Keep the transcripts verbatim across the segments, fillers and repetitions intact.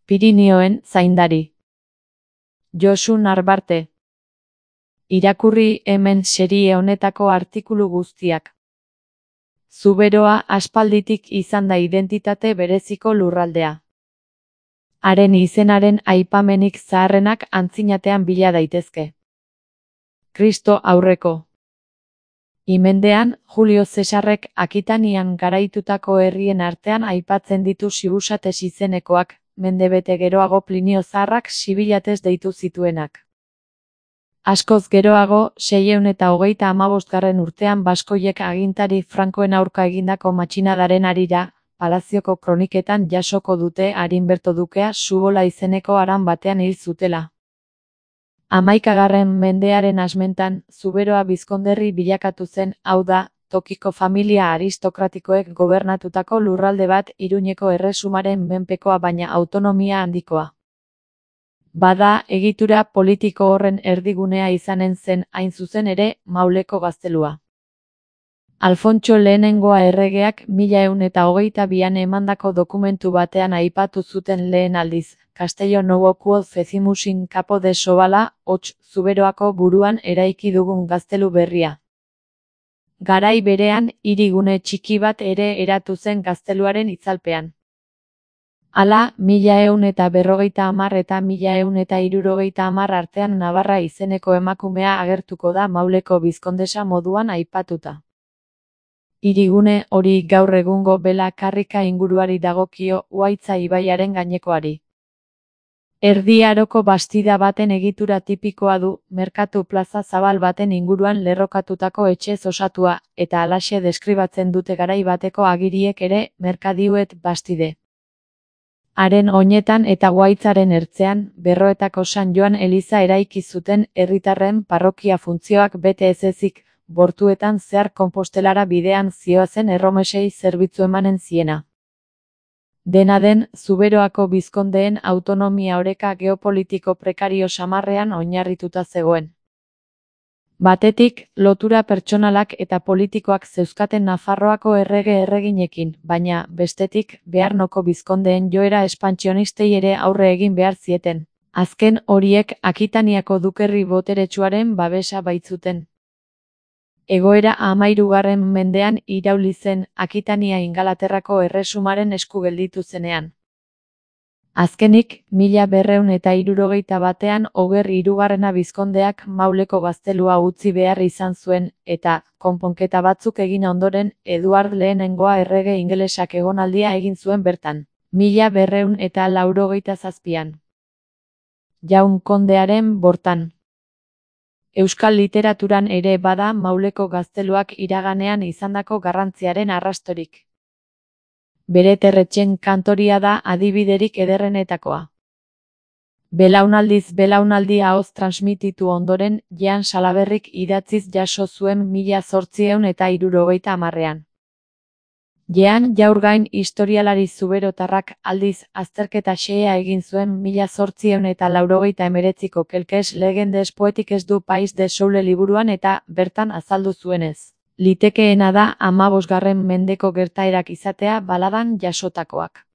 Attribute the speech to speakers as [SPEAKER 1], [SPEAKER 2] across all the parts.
[SPEAKER 1] Pirinioen zaindari. Josu Narbarte. Irakurri hemen serie honetako artikulu guztiak. Zuberoa aspalditik izan da identitate bereziko lurraldea. Haren izenaren aipamenik zaharrenak antzinatean bila daitezke. Kristo aurreko. Imendean, Julio Zesarrek Akitanian garaitutako herrien artean aipatzen ditu Sibusates izenekoak, mendebete geroago Plinio Zaharrak Sibilates deitu zituenak. Askoz geroago, seiehun eta hogeita hamabosgarren urtean baskoiek agintari Frankoen aurka egindako matxinadaren harira, Palazioko kroniketan jasoko dute Arinberto dukea Subola izeneko haran batean hil zutela. Hamaikagarren mendearen hasmentan, Zuberoa bizkonderri bilakatu zen, hau da, tokiko familia aristokratikoek gobernatutako lurralde bat Iruñeko erresumaren menpekoa baina autonomia handikoa. Bada, egitura politiko horren erdigunea izanen zen hain zuzen ere, Mauleko gaztelua. Alfontso lehenengoa erregeak mila ehun eta hogeita bian emandako dokumentu batean aipatu zuten lehen aldiz, Castello Novo quod fecimus in capo de Sobala, hots, Zuberoako buruan eraiki dugun gaztelu berria. Garai berean, hirigune txiki bat ere eratu zen gazteluaren itzalpean. Hala, mila ehun eta berrogeita hamar eta mila ehun eta hirurogeita hamar artean Navarra izeneko emakumea agertuko da Mauleko bizkondesa moduan aipatuta. Hirigune hori gaur egungo Bela Karrika inguruari dagokio, Uhaitza ibaiaren gainekoari. Erdi Aroko bastida baten egitura tipikoa du, merkatu plaza zabal baten inguruan lerrokatutako etxez osatua, eta halaxe deskribatzen dute garai bateko agiriek ere, merkadiuet bastide. Haren oinetan eta Uhaitzaren ertzean, Berroetako San Joan eliza eraiki zuten herritarren parrokia funtzioak bete ez ezik, bortuetan zehar Konpostelara bidean zihoazen erromesei zerbitzu emanen ziena. Dena den, Zuberoako bizkondeen autonomia oreka geopolitiko prekario samarrean oinarrituta zegoen. Batetik, lotura pertsonalak eta politikoak zeuzkaten Nafarroako errege erreginekin, baina, bestetik, Bearnoko bizkondeen joera espantsionistei ere aurre egin behar zieten. Azken horiek Akitaniako dukerri boteretsuaren babesa baitzuten. Egoera hamahirugarren mendean irauli zen Akitania Ingalaterrako erresumaren esku gelditu zenean. Azkenik, mila berrehun eta hirurogeita batean Oger hirugarrena bizkondeak Mauleko gaztelua utzi behar izan zuen, eta, konponketa batzuk egin ondoren, Eduard lehenengoa errege ingelesak egonaldia egin zuen bertan, mila berrehun eta laurogeita zazpian. Jaun kondearen bortan. Euskal literaturan ere bada Mauleko gazteluak iraganean izandako garrantziaren arrastorik. Bere Terretxen kantoria da adibiderik ederrenetakoa. Belaunaldiz belaunaldi ahoz transmititu ondoren, Jean Salaberrik idatziz jaso zuen mila zortziehun eta hirurogeita hamarrean. Jean Jaurgain historialari zuberotarrak aldiz azterketa xehea egin zuen mila zortziehun eta laurogeita hemeretziko Quelques legendes poetiques du Pays de Soule liburuan eta bertan azaldu zuenez. Litekeena da hamabosgarren mendeko gertaerak izatea baladan jasotakoak.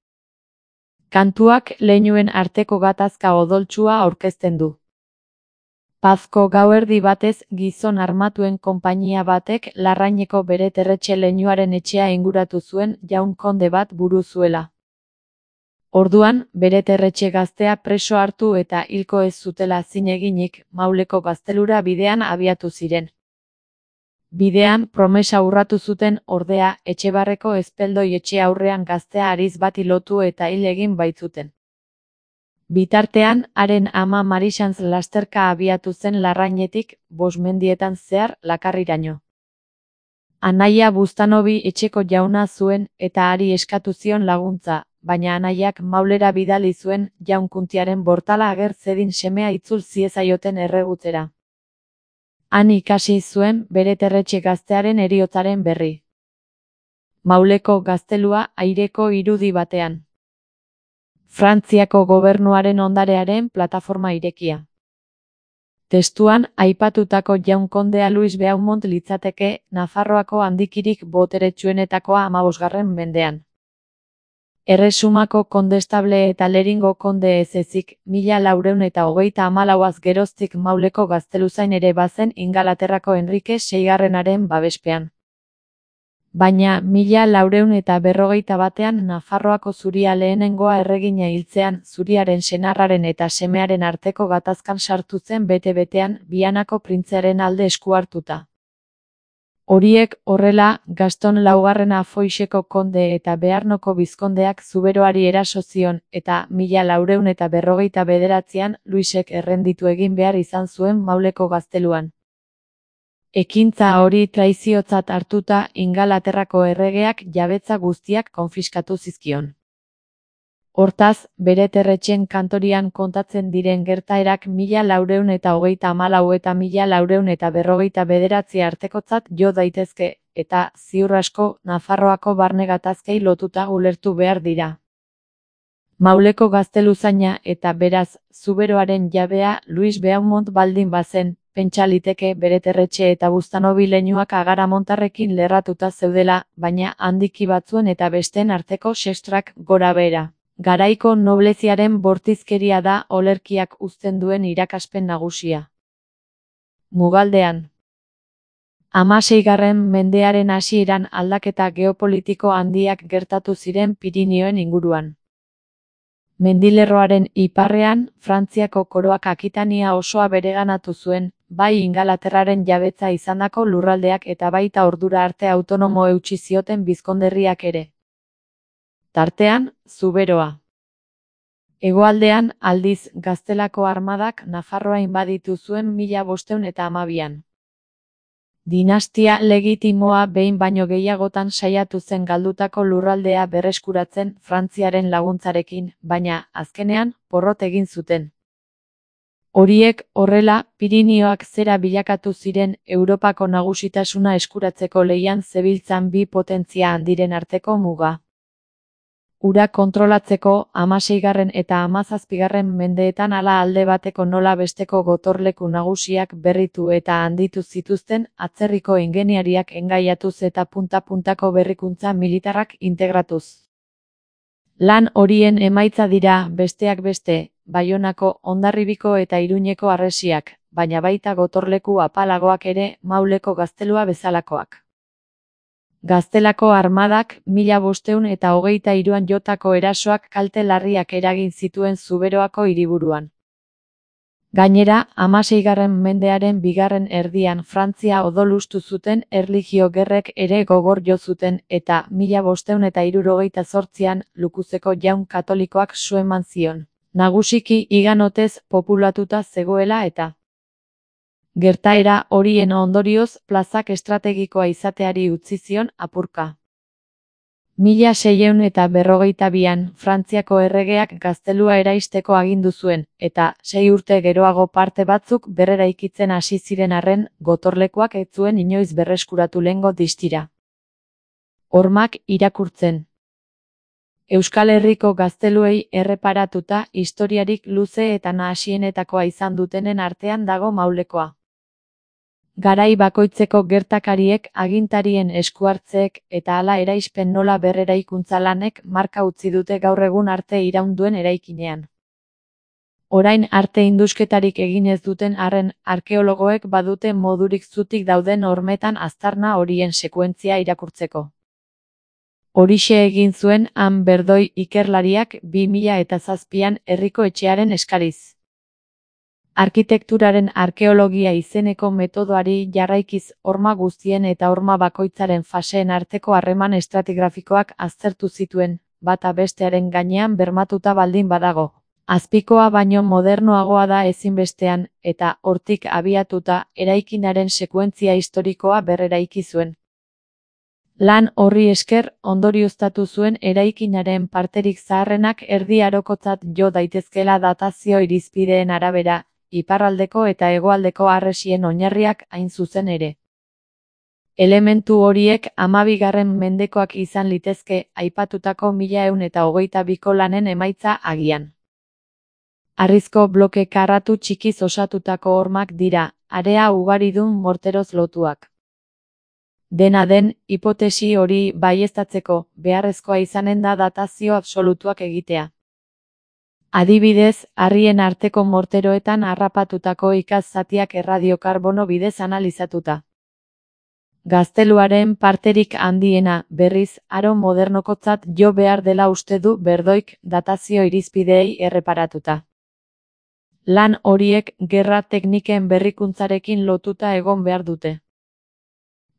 [SPEAKER 1] Kantuak leinuen arteko gatazka odoltsua aurkezten du. Pazko gauerdi batez gizon armatuen konpainia batek Larraineko bere Terretxe leinuaren etxea inguratu zuen jaun konde bat buru zuela. Orduan, bere Terretxe gaztea preso hartu eta hilko ez zutela zin eginik, Mauleko gaztelura bidean abiatu ziren. Bidean, promesa urratu zuten ordea, Etxebarreko ezpeldoi etxe aurrean gaztea hariz bati lotu eta hil egin baitzuten. Bitartean, haren ama Marixantz lasterka abiatu zen Larrainetik, bost mendietan zehar, Lakarriraino. Anaia Buztanobi etxeko jauna zuen eta hari eskatu zion laguntza, baina anaiak Maulera bidali zuen Jaunkuntiaren bortala ager zedin semea itzul ziezaioten erregutzera. Han ikasi zuen bere Terretxe gaztearen heriotzaren berri. Mauleko gaztelua aireko irudi batean. Frantziako gobernuaren ondarearen plataforma irekia. Testuan, aipatutako jaun kondea Luis Beaumont litzateke, Nafarroako handikirik boteretsuenetakoa hamabosgarren mendean. Erresumako kondestable eta Leringo konde ez ezik, mila laurehun eta hogeita hamalauaz geroztik Mauleko gazteluzain ere bazen Ingalaterrako Henrike seigarrenaren babespean. Baina mila laurehun eta berrogeita batean Nafarroako zuria lehenengoa erregina hiltzean zuriaren senarraren eta semearen arteko gatazkan sartu zen bete-betean Bianako printzearen alde esku hartuta. Horiek horrela, Gaston laugarrena Foixeko konde eta Bearnoko bizkondeak Zuberoari eraso zion eta mila laurehun eta berrogeita bederatzian Luisek errenditu egin behar izan zuen Mauleko gazteluan. Ekintza hori traiziotzat hartuta Ingalaterrako erregeak jabetza guztiak konfiskatu zizkion. Hortaz, bere terretxen kantorian kontatzen diren gertaerak mila laurehun eta hogeita hamalau eta mila laurehun eta berrogeita bederatzi artekotzat jo daitezke, eta, ziur asko, Nafarroako barne gatazkei lotuta ulertu behar dira. Mauleko gazteluzaina eta beraz, Zuberoaren jabea Luis Beaumont baldin bazen, pentsa liteke bere terretxe eta buztanobi leinuak agaramontarrekin lerratuta zeudela, baina handiki batzuen eta besteen arteko sestrak gora behera. Garaiko nobleziaren bortizkeria da olerkiak uzten duen irakaspen nagusia. Mugaldean. Hamaseigarren mendearen hasieran aldaketa geopolitiko handiak gertatu ziren Pirinioen inguruan. Mendilerroaren iparrean, Frantziako koroak Akitania osoa bereganatu zuen, bai Ingalaterraren jabetza izandako lurraldeak eta baita ordura arte autonomo eutsi zioten bizkonderriak ere. Tartean, Zuberoa. Hegoaldean, aldiz, Gaztelako armadak Nafarroa inbaditu zuen mila bostehun eta hamabian. Dinastia legitimoa behin baino gehiagotan saiatu zen galdutako lurraldea berreskuratzen Frantziaren laguntzarekin, baina, azkenean, porrot egin zuten. Horiek, horrela, Pirinioak zera bilakatu ziren Europako nagusitasuna eskuratzeko lehian zebiltzan bi potentzia handiren arteko muga. Ura kontrolatzeko hamaseigarren eta hamazazpigarren mendeetan hala alde bateko nola besteko gotorleku nagusiak berritu eta handitu zituzten atzerriko ingeniariak engaiatuz eta punta-puntako berrikuntza militarrak integratuz. Lan horien emaitza dira, besteak beste, Baionako, Hondarribiko eta Iruñeko harresiak, baina baita gotorleku apalagoak ere Mauleko gaztelua bezalakoak. Gaztelako armadak mila bostehun eta hogeita hiruan jotako erasoak kalte larriak eragin zituen Zuberoako hiriburuan. Gainera, hamaseigarren mendearen bigarren erdian Frantzia odolustu zuten erlijio gerrek ere gogor jo zuten eta mila bostehun eta hirurogeita zortzian Lukuzeko jaun katolikoak su eman zion, nagusiki higanotez populatuta zegoela eta. Gertaera horien ondorioz plazak estrategikoa izateari utzi zion apurka. Mila seiehun eta berrogeita bian Frantziako erregeak gaztelua eraisteko agindu zuen, eta sei urte geroago parte batzuk berreraikitzen hasi ziren arren, gotorlekuak ez zuen inoiz berreskuratu lehengo distira. Hormak irakurtzen. Euskal Herriko gazteluei erreparatuta historiarik luze eta nahasienetakoa izan dutenen artean dago Maulekoa. Garai bakoitzeko gertakariek, agintarien eskuhartzeek eta hala eraispen nola berreraikuntza lanek marka utzi dute gaur egun arte iraun duen eraikinean. Orain arte indusketarik egin ez duten arren, arkeologoek badute modurik zutik dauden hormetan aztarna horien sekuentzia irakurtzeko. Horixe egin zuen Han Berdoi ikerlariak bi mila eta zazpian herriko etxearen eskariz. Arkitekturaren arkeologia izeneko metodoari jarraikiz horma guztien eta horma bakoitzaren faseen arteko harreman estratigrafikoak aztertu zituen, bata bestearen gainean bermatuta baldin badago. Azpikoa baino modernoagoa da ezinbestean, eta hortik abiatuta eraikinaren sekuentzia historikoa berreraiki zuen. Lan horri esker ondorioztatu zuen eraikinaren parterik zaharrenak erdi arokotzat jo daitezkela datazio irizpideen arabera, iparraldeko eta hegoaldeko harresien oinarriak hain zuzen ere. Elementu horiek hamabigarren mendekoak izan litezke aipatutako mila ehun eta hogeita biko lanen emaitza agian. Harrizko bloke karratu txikiz osatutako hormak dira, area ugaridun morteroz lotuak. Dena den, hipotesi hori baieztatzeko beharrezkoa izanen da datazio absolutuak egitea. Adibidez, harrien arteko morteroetan harrapatutako ikaz zatiak erradiokarbono bidez analizatuta. Gazteluaren parterik handiena, berriz, aro modernokotzat jo behar dela uste du Berdoik datazio irizpideei erreparatuta. Lan horiek gerra tekniken berrikuntzarekin lotuta egon behar dute.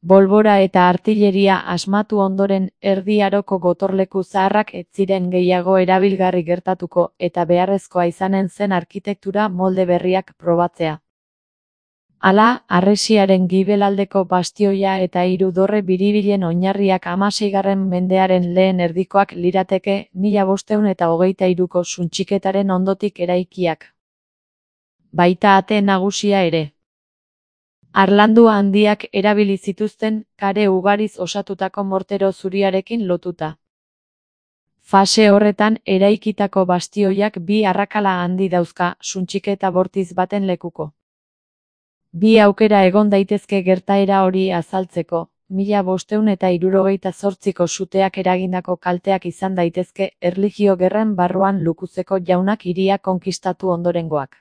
[SPEAKER 1] Bolbora eta artilleria asmatu ondoren Erdi Aroko gotorleku zaharrak ez ziren gehiago erabilgarri gertatuko eta beharrezkoa izanen zen arkitektura molde berriak probatzea. Hala, harresiaren gibelaldeko bastioia eta hiru dorre biribilen oinarriak hamaseigarren mendearen lehen erdikoak lirateke mila bostehun eta hogeita hiruko suntxiketaren ondotik eraikiak. Baita ate nagusia ere. Harlandu handiak erabili zituzten kare ugariz osatutako mortero zuriarekin lotuta. Fase horretan eraikitako bastioiak bi arrakala handi dauzka suntxiketa bortiz baten lekuko. Bi aukera egon daitezke gertaera hori azaltzeko, mila bostehun eta hirurogeita zortziko suteak eragindako kalteak izan daitezke erlijio gerren barruan Lukuzeko jaunak hiria konkistatu ondorengoak.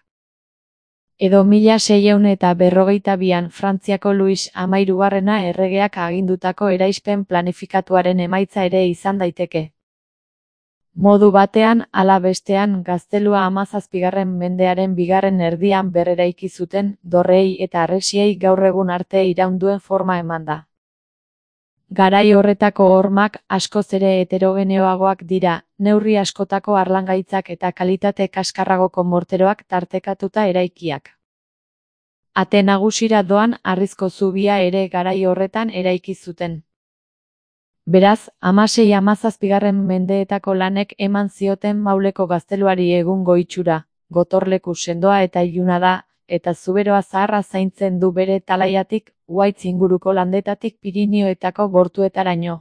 [SPEAKER 1] Edo mila seiehun eta berrogeita bian Frantziako Luis hamahirugarrena erregeak agindutako eraispen planifikatuaren emaitza ere izan daiteke. Modu batean, ala bestean, gaztelua hamazazpigarren mendearen bigarren erdian berreraiki zuten, dorrei eta harresiei gaur egun arte iraunduen forma eman da. Garai horretako hormak askoz ere heterogeneoagoak dira, neurri askotako harlangaitzak eta kalitate kaskarragoko morteroak tartekatuta eraikiak. Ate nagusira doan harrizko zubia ere garai horretan eraiki zuten. Beraz, hamasei hamazazpigarren mendeetako lanek eman zioten Mauleko gazteluari egungo itxura, gotorleku sendoa eta iluna da, eta Zuberoa zaharra zaintzen du bere talaiatik, Uhaitz inguruko landetatik Pirinioetako bortuetaraino.